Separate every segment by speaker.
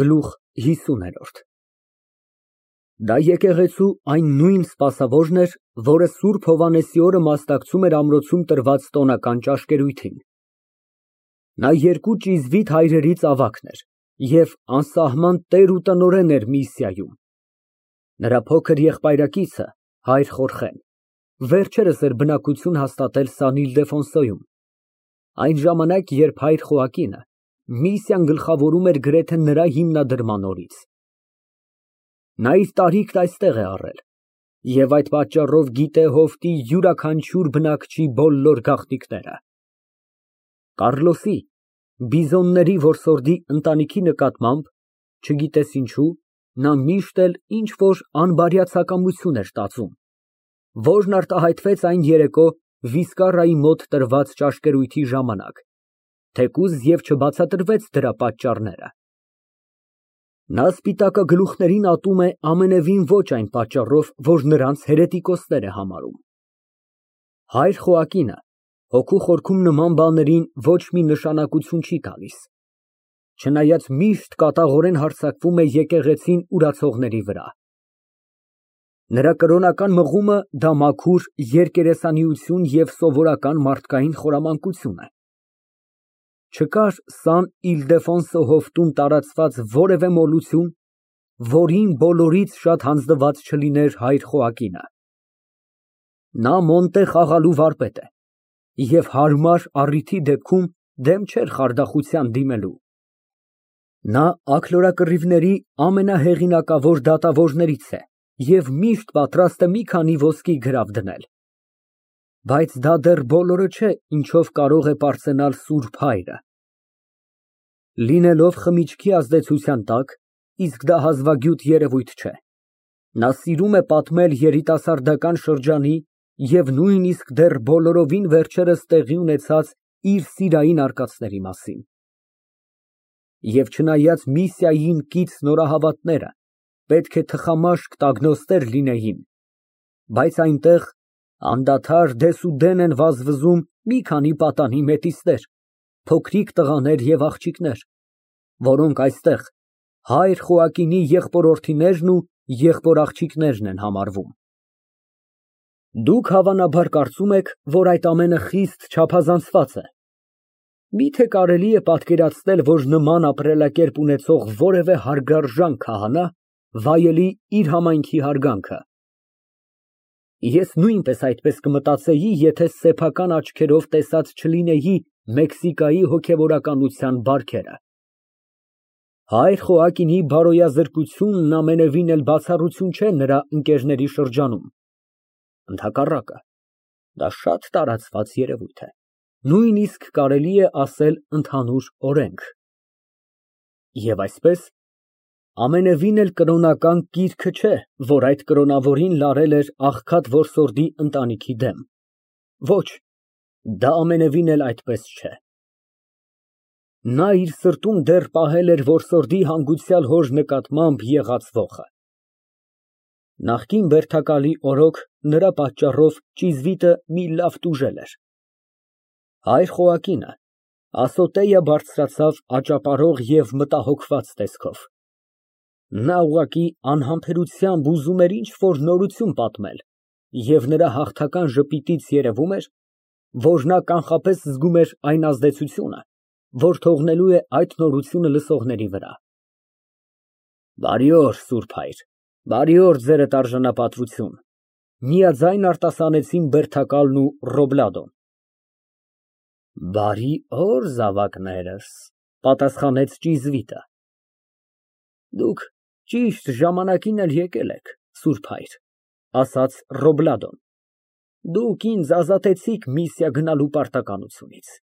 Speaker 1: Գլուխ 50 Դա եկեղեցու այն նույն սպասավորն էր, որը Սուրբ Հովհաննեսի օրը մասնակցում էր ամրոցում տրված տոնական ճաշկերույթին։ Նա երկու ճիզվիտ հայրերից ավագն էր և անսահման տեր ու տնօրեն էր Միսիայում։ Նրա փոքր եղբայրակիցը հայր Խորխեն վերջերս էր բնակություն հաստատել Սան Իլդեֆոնսոյում, այն ժամանակ, երբ հայր Խոակինը Միսիան գլխավորում էր գրեթե նրա հիմնադրման օրից։ Նա իր տարիքն այստեղ է առել և այդ պատճառով գիտե հովտի յուրաքանչյուր բնակչի բոլոր գաղտնիքները։ Կառլոսի, Բիզոնների որսորդի ընտանիքի նկատմամբ, չգիտես ինչու, նա միշտ էլ ինչ֊որ անբարյացակամություն էր տածում, որն արտահայտվեց այն երեկո Վիսկարայի մոտ տրված ճաշկերույթի ժամանակ, թեկուզ և չբացատրվեց դրա պատճառները։ Նա սպիտակագլուխներին ատում է ամենևին ոչ այն պատճառով, որ նրանց հերետիկոսներ է համարում։ Հայր Խոակինը հոգու խորքում նման բաներին ոչ մի նշանակություն չի տալիս, չնայած միշտ կատաղորեն հարձակվում է եկեղեցին ուրացողների վրա։ Նրա կրոնական մղումը դա մաքուր երկերեսանիություն և սովորական մարդկային խորամանկություն է։ Չկար Սան Իլդեֆոնսո հովտում տարածված որևէ մոլություն, որին բոլորից շատ հանձնված չլիներ հայր Խոակինը։ Նա Մոնտե խաղալու վարպետ է և հարմար առիթի դեպքում դեմ չէր խարդախության դիմելու։ Նա աքլորակռիվների ամենահեղինակավոր դատավորներից է և միշտ պատրաստ է մի քանի ոսկի գրավ դնել։ Բայց դա դեռ բոլորը չէ, ինչով կարող է պարծենալ Սուրբ Հայրը։ Լինելով խմիչքի ազդեցության տակ, իսկ դա հազվագյուտ երևույթ չէ, նա սիրում է պատմել երիտասարդական շրջանի և նույնիսկ դեռ բոլորովին վերջերս տեղի ունեցած իր սիրային արկածների մասին։ Եվ չնայած Միսիային կից նորահավատները պետք է թխամաշկ տագնոստեր լինեին, բայց այնտեղ անդադար դեսուդեն են վազվզում մի քանի պատանի մետիսներ, փոքրիկ տղաներ և աղջիկներ, որոնք այստեղ հայր Խոակինի եղբորորդիներն ու եղբորաղջիկներն են համարվում։ Դուք հավանաբար կարծում եք, որ այդ ամենը խիստ չափազանցված է։ Միթե կարելի է պատկերացնել, որ նման ապրելակերպ ունեցող որևէ հարգարժան քահանա վայելի իր համայնքի հարգանքը։ Ես նույնպես այդպես կմտածեի, եթե սեփական աչքերով տեսած չլինեի Մեքսիկայի հոգևորականության բարքերը։ Հայր Խոակինի բարոյազրկությունն ամենևին էլ բացառություն չէ նրա ընկերների շրջանում։ Ընդհակառակը, դա շատ տարածված երևույթ է, նույնիսկ կարելի է ասել ընդհանուր օրենք։ Եվ այսպես, ամենևին էլ կրոնական կիրքը չէ, որ այդ կրոնավորին լարել էր աղքատ որսորդի ընտանիքի դեմ։ Ոչ, դա ամենևին էլ այդպես չէ։ Նա իր սրտում դեռ պահել էր որսորդի հանգուցյալ հոր նկատմամբ եղած ոխը։ Նախկին բերդակալի օրոք նրա պատճառով ճիզվիտը մի լավ տուժել էր։ Հայր Խոակինը ասոտեյա բարձրացավ աճապարող և մտահոգված տեսքով։ Նա ուղղակի անհամբերությամբ ուզում էր ինչ֊որ նորություն պատմել և նրա հաղթական ժպիտից երևում էր, որ նա կանխապես զգում էր այն ազդեցությունը, որ թողնելու է այդ նորությունը լսողների վրա։ Բարի օր, Սուրբ Հայր, բարի օր, ձերդ արժանապատվություն, միաձայն արտասանեցին բերդակալն ու Ռոբլադոն։ Բարի օր, զավակներս, պատասխանեց ճիզվիտը։ Դուք ճիշտ ժամանակին էլ եկել եք, Սուրբ Հայր, ասաց Ռոբլադոն։ Դուք ինձ ազատեցիք Միսիա գնալու պարտականությունից։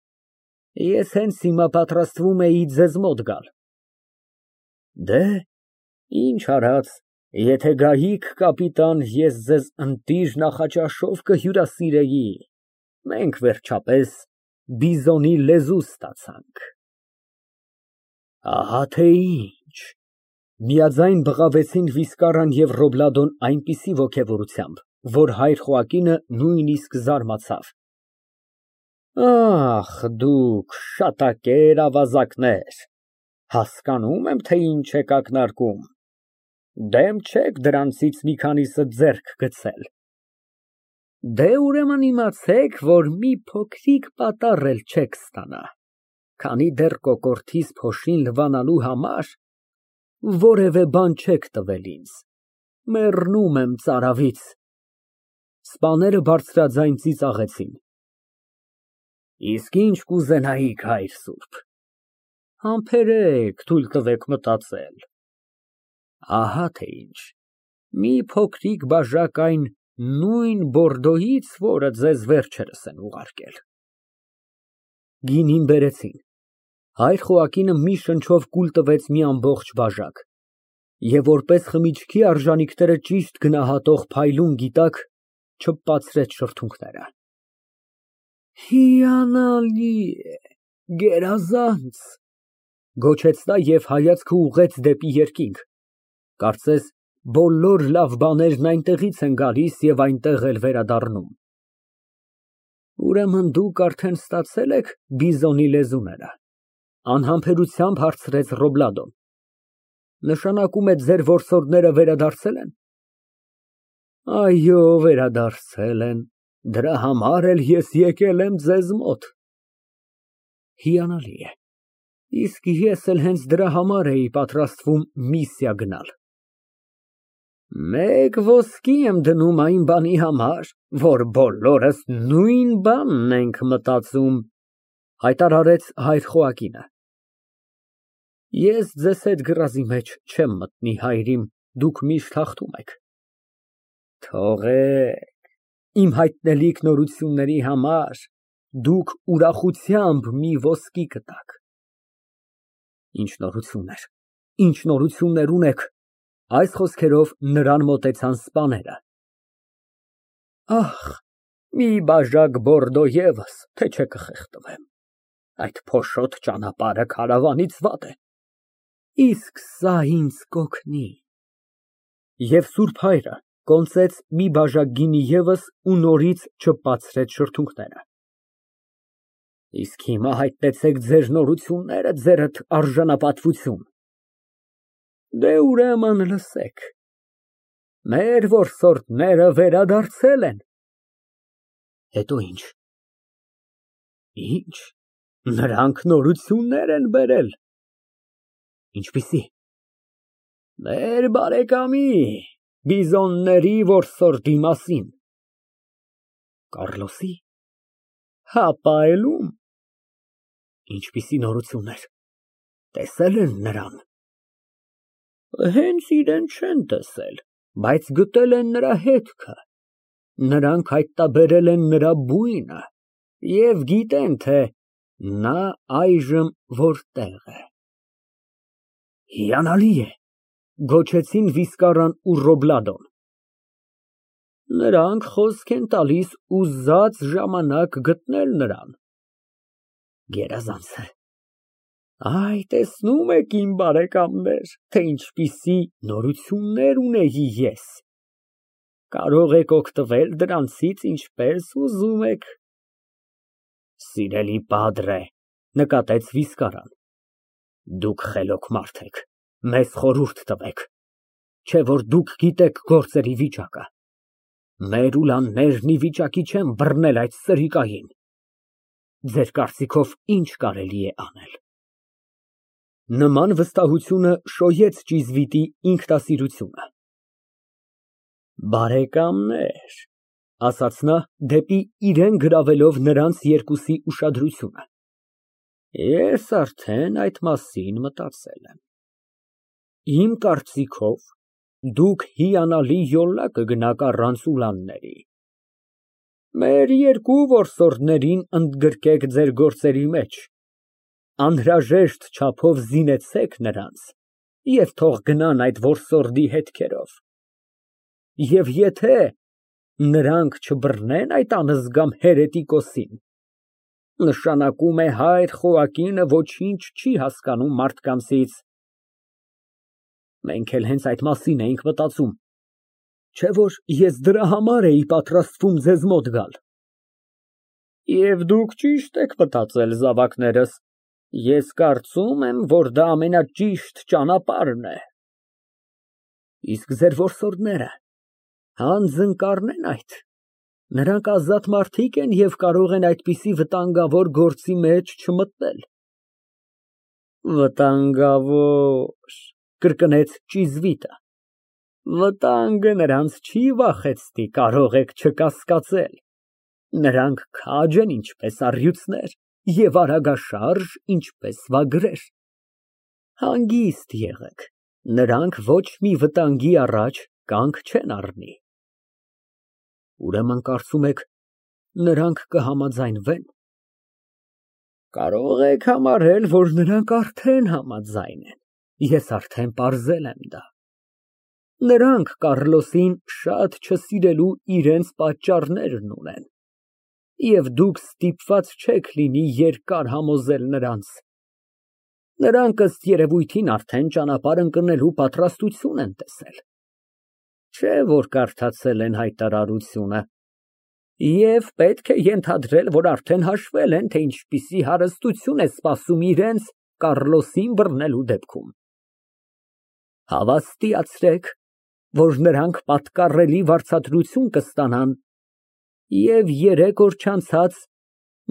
Speaker 1: Ես հենց հիմա պատրաստվում էի ձեզ մոտ գալ։ Դե, ինչ արած, եթե գայիք, կապիտան, ես ձեզ ընտիր նախաճաշով կհյուրասիրեի, մենք վերջապես բիզոնի լեզու ստացանք։ Ահա թե ինչ, միաձայն բղավեցին Վիսկարան և Ռոբլադոն այնպիսի ոգևորությամբ, որ հայր Խոակինը նույնիսկ զարմացավ։ Ախ, դուք շատակեր ավազակներ, Հասկանում եմ, թե ինչ եք ակնարկում, դեմ չեք դրանցից մի քանիսը ձեռք գցել։ Դե ուրեմն իմացեք, որ մի փոքրիկ պատառ էլ չեք ստանա, քանի դեռ կոկորդիս փոշին լվանալու համար որևէ բան չեք տվել ինձ, մեռնում եմ ծարավից։ Սպաները բարձրաձայն ծիծաղեցին։ Իսկ ինչ կուզենայիք, հայր սուրբ։ Համբերեք, թույլ տվեք մտածել։ Ահա թե ինչ, մի փոքրիկ բաժակ այն նույն Բորդոյից, որը ձեզ վերջերս են ուղարկել։ Գինին բերեցին։ Հայր Խոակինը մի շնչով կուլ տվեց մի ամբողջ բաժակ, և որպես խմիչքի արժանիքները ճիշտ գնահատող փայլուն գիտակ չպացրեց շրթունքները։ Հիանալի է, գերազանց, գոչեց նա և հայացքը ուղղեց դեպի երկինք, կարծես բոլոր լավ բաներն այնտեղից են գալիս և այնտեղ էլ վերադառնում։ Ուրեմն դուք արդեն ստացել եք բիզոնի լեզուները, անհամբերությամբ հարցրեց Ռոբլադոն։ Նշանակում է ձեր որսորդները վերադարձել են։ Այո, վերադարձել են, դրա համար էլ ես եկել եմ ձեզ մոտ։ Հիանալի է, իսկ ես էլ հենց դրա համար էի պատրաստվում միսիա գնալ։ Մեկ ոսկի եմ դնում այն բանի համար, որ բոլորս նույն բանն ենք մտածում, հայտարարեց հայր Խոակինը։ Ես ձեզ հետ գրազի մեջ չեմ մտնի, հայրիմ, դուք միշտ հաղթում եք։ Թողեք, իմ հայտնելիք նորությունների համար դուք ուրախությամբ մի ոսկի կտաք։ Ինչ նորություններ ունեք։ Այս խոսքերով նրան մոտեցան սպաները։ Ահ, մի բաժակ Բորդո ևս, թե չէ կխեղդվեմ։ Այդ փոշոտ ճանապարհը քարավանից վատ է։ Իսկ սա ինձ կօգնի։ Եվ սուրբ հայրը կոնծեց մի բաժակ գինի ևս ու նորից չպացրեց շրթունքները։ Իսկ հիմա հայտնեցեք ձեր նորությունները, ձերդ արժանապատվություն։ Դե ուրեմն լսեք, մեր որսորդները վերադարձել են։ Հետո ինչ։ Ինչ, նրանք նորություններ են բերել։ Ինչպիսի։ Մեր բարեկամի, բիզոնների որսորդի մասին։ Կառլոսի։ Հապա այլում։ Ինչպիսի նորություններ։ Տեսել են նրան։ Հենց իրեն չեն տեսել, բայց գտել են նրա հետքը։ Նրանք հայտնաբերել են նրա բույնը և գիտեն, թե նա այժմ որտեղ է։ Հիանալի է, գոչեցին Վիսկարան ու Ռոբլադոն։ Նրանք խոսք են տալիս ուզած ժամանակ գտնել նրան։ Գերազանց է։ Այ, տեսնում եք, իմ բարեկամներ, թե ինչպիսի նորություններ ունեի ես։ Կարող եք օգտվել դրանցից ինչպես ուզում եք։ Սիրելի պադրե, նկատեց Վիսկարան, դուք խելոք մարդ եք, մեզ խորհուրդ տվեք, չէ որ դուք գիտեք գործերի վիճակը։ Մեր ուլաններն ի վիճակի չեն բռնել այդ սրիկային։ Ձեր կարծիքով ինչ կարելի է անել։ Նման վստահությունը շոյեց ճիզվիտի ինքնասիրությունը։ Բարեկամներ, ասաց նա, դեպի իրեն գրավելով նրանց երկուսի ուշադրությունը, ես արդեն այդ մասին մտածել եմ։ Իմ կարծիքով, դուք հիանալի յոլա կգնաք առանց ուլանների։ Մեր երկու որսորդներին ընդգրկեք ձեր գործերի մեջ, անհրաժեշտ չափով զինեցեք նրանց և թող գնան այդ որսորդի հետքերով։ Եվ եթե նրանք չբռնեն այդ անզգամ հերետիկոսին, նշանակում է հայր Խոակինը ոչինչ չի հասկանում մարդկանցից։ Մենք էլ հենց այդ մասին էինք մտածում, չէ որ ես դրա համար էի պատրաստվում ձեզ մոտ գալ։ Եվ դուք ճիշտ եք մտածել, զավակներս, Ես կարծում եմ, որ դա ամենաճիշտ ճանապարհն է։ Իսկ ձեր որսորդները հանձնկա՞ռն են այդ։ Նրանք ազատ մարդիկ են և կարող են այդպիսի վտանգավոր գործի մեջ չմտնել։ Վտանգավոր, կրկնեց ճիզվիտը, վտանգը նրանց չի վախեցնի, կարող եք չկասկածել։ Նրանք քաջ են, ինչպես առյուծներ, և արագաշարժ, ինչպես վագրեր։ Հանգիստ եղեք, նրանք ոչ մի վտանգի առաջ կանգ չեն առնի։ Ուրեմն կարծում եք, նրանք կհամաձայնվե՞ն։ Կարող եք համարել, որ նրանք արդեն համաձայն են, ես արդեն պարզել եմ դա։ Նրանք Կառլոսին շատ չսիրելու իրենց պատճառներն ունեն, և դուք ստիպված չեք լինի երկար համոզել նրանց։ Նրանք ըստ երևույթին արդեն ճանապարհ ընկնելու պատրաստություն են տեսել։ Չէ՞ որ կարդացել են հայտարարությունը։ Եվ պետք է ենթադրել, որ արդեն հաշվել են, թե ինչպիսի հարստություն է սպասում իրենց Կառլոսին բռնելու դեպքում։ Հավաստիացրեք, որ նրանք պատկառելի վարձատրություն կստանան, և 3 օր չանցած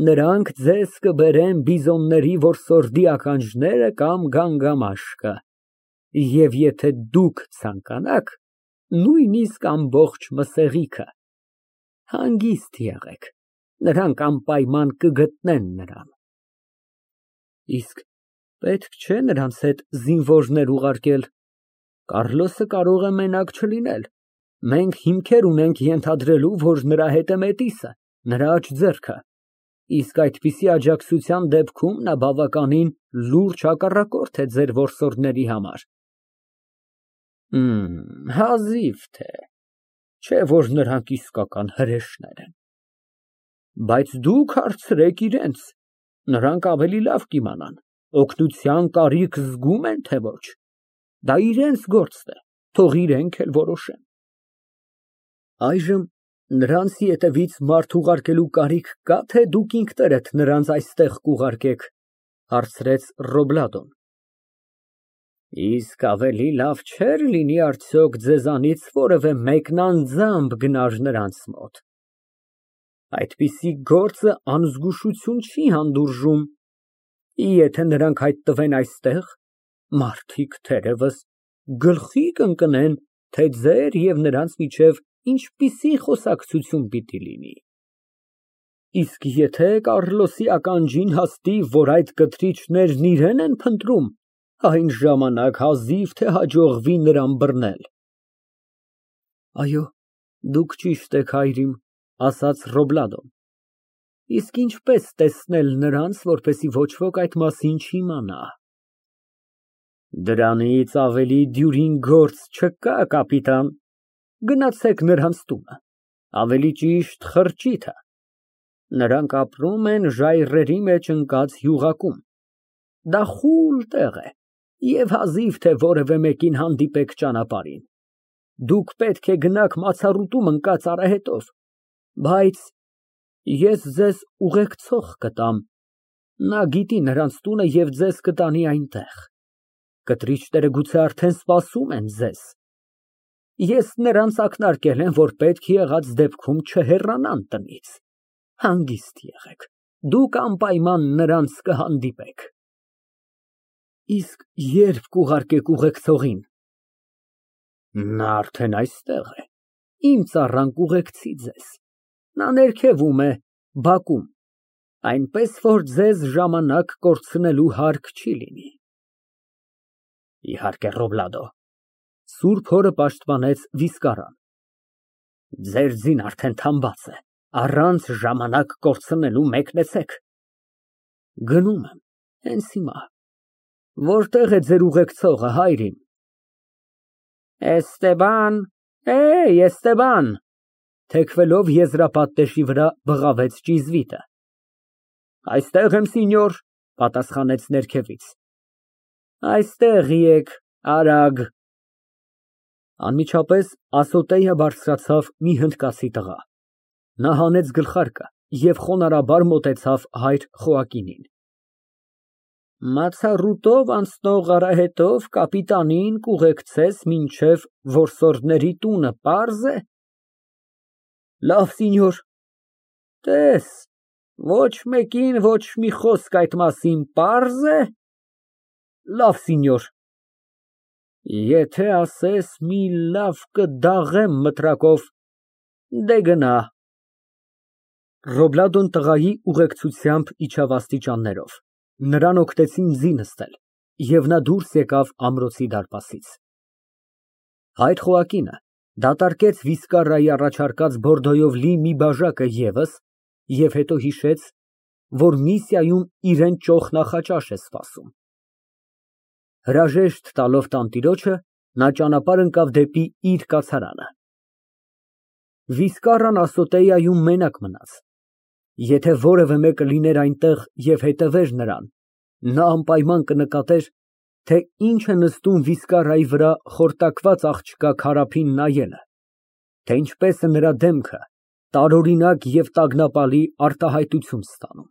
Speaker 1: նրանք ձեզ կբերեն բիզոնների որսորդի ականջները կամ գանգամաշկը, և եթե դուք ցանկանաք, նույնիսկ ամբողջ մսեղիքը։ Հանգիստ եղեք, նրանք անպայման կգտնեն նրան։ Իսկ պետք չէ նրանց հետ զինվորներ ուղարկել։ Կառլոսը կարող է մենակ չլինել։ Մենք հիմքեր ունենք ենթադրելու, որ նրա հետ է մետիսը, նրա աջ ձեռքը, իսկ այդպիսի աջակցության դեպքում նա բավականին լուրջ հակառակորդ է ձեր որսորդների համար։ Հազիվ թե, չէ որ նրանք իսկական հրեշներ են։ Բայց դուք հարցրեք իրենց, նրանք ավելի լավ կիմանան, օգնության կարիք զգում են, թե ոչ։ Դա իրենց գործն է, թող իրենք էլ որոշեն։ Այժմ նրանց ետևից մարդ ուղարկելու կարիք կա, թե դուք ինքներդ նրանց այստեղ կուղարկեք, հարցրեց Ռոբլադոն։ Իսկ ավելի լավ չէր լինի արդյոք ձեզանից որևէ մեկն անձամբ գնար նրանց մոտ։ Այդպիսի գործը անզգուշություն չի հանդուրժում։ Եթե նրանք հայտնվեն այստեղ, մարդիկ թերևս գլխի կընկնեն, թե ձեր և նրանց միջև ինչպիսի խոսակցություն պիտի լինի։ Իսկ եթե Կառլոսի ականջին հասնի, որ այդ կթրիչներն իրեն են փնտրում, այն ժամանակ հազիվ թե հաջողվի նրան բռնել։ Այո, դուք ճիշտ եք, հայրիկ, ասաց Ռոբլադոն։ Իսկ ինչպես տեսնել նրանց, որպեսզի ոչ ոք այդ մասին չիմանա։ Դրանից ավելի դյուրին գործ չկա, կապիտան։ Գնացեք նրանց տունը, ավելի ճիշտ խրճիթը։ Նրանք ապրում են ժայռերի մեջ ընկած յուղակում։ Դա խուլ տեղ է, և հազիվ թե որևէ մեկին հանդիպեք ճանապարհին։ Դուք պետք է գնաք մացառուտում ընկած արահետով, բայց ես ձեզ ուղեկցող կտամ, նա գիտի նրանց տունը և ձեզ կտանի այնտեղ։ Կտրիչները գուցե արդեն սպասում են ձեզ։ Ես նրանց ակնարկել եմ, որ պետք եղած դեպքում չհեռանան տնից։ Հանգիստ եղեք, դուք անպայման նրանց կհանդիպեք։ Իսկ ե՞րբ կուղարկեք ուղեկցողին։ Նա արդեն այստեղ է, իմ ծառան կուղեկցի ձեզ։ Նա ներքևում է, բակում, այնպես որ ձեզ ժամանակ կորցնելու հարկ չի լինի։ Իհարկե, Ռոբլադո։ Սուրբ հորը պաշտպանեց Վիսկարան։ Ձեր ձին արդեն թամբած է, առանց ժամանակ կորցնելու մեկնեցեք։ Գնում եմ, հենց հիմա։ Որտե՞ղ է ձեր ուղեկցողը, հայրիկ։ Էստեբան, թեքվելով եզրապատնեշի վրա բղավեց ճիզվիտը։ Այստեղ եմ, սինյոր, պատասխանեց ներքևից։ Այստեղ եկ, արագ։ Անմիջապես ասոտեյը բարձրացավ մի հնդկացի տղա։ Նա հանեց գլխարկը և խոնարհաբար մոտեցավ հայր Խոակինին։ Մացառուտով անցնող արահետով կապիտանին կուղեկցես մինչև որսորդների տունը, պարզ է։ Լավ, սենյոր։ Տես, ոչ մեկին ոչ մի խոսք այդ մասին, պարզ է։ Լավ, սենյոր։ Եթե ասես մի լավ կդաղեմ մտրակով, դե գնա։ Ռոբլադոն տղայի ուղեկցությամբ իջավ աստիճաններով, նրան օգնեցին ձի նստել, և նա դուրս եկավ ամրոցի դարպասից։ Հայր խոհակինը դատարկեց վիսկարայի առաջարկած բորդոյով լի մի բաժակը ևս և հետո հիշեց, որ Միսիայում իրան ճոխ նախաճաշ է սպասում։ Հրաժեշտ տալով տանտիրոջը, նա ճանապարհ ընկավ դեպի իր կացարանը։ Վիսկարան ասոտեայում մենակ մնաց։ Եթե որևէ մեկը լիներ այնտեղ և հետևեր նրան, նա անպայման կնկատեր, թե ինչ է նստում վիսկարայի վրա խորտակված աղջկա քարափին նայելը, թե ինչպես է նրա դեմքը տարօրինակ և տագնապալի արտահայտություն ստանում։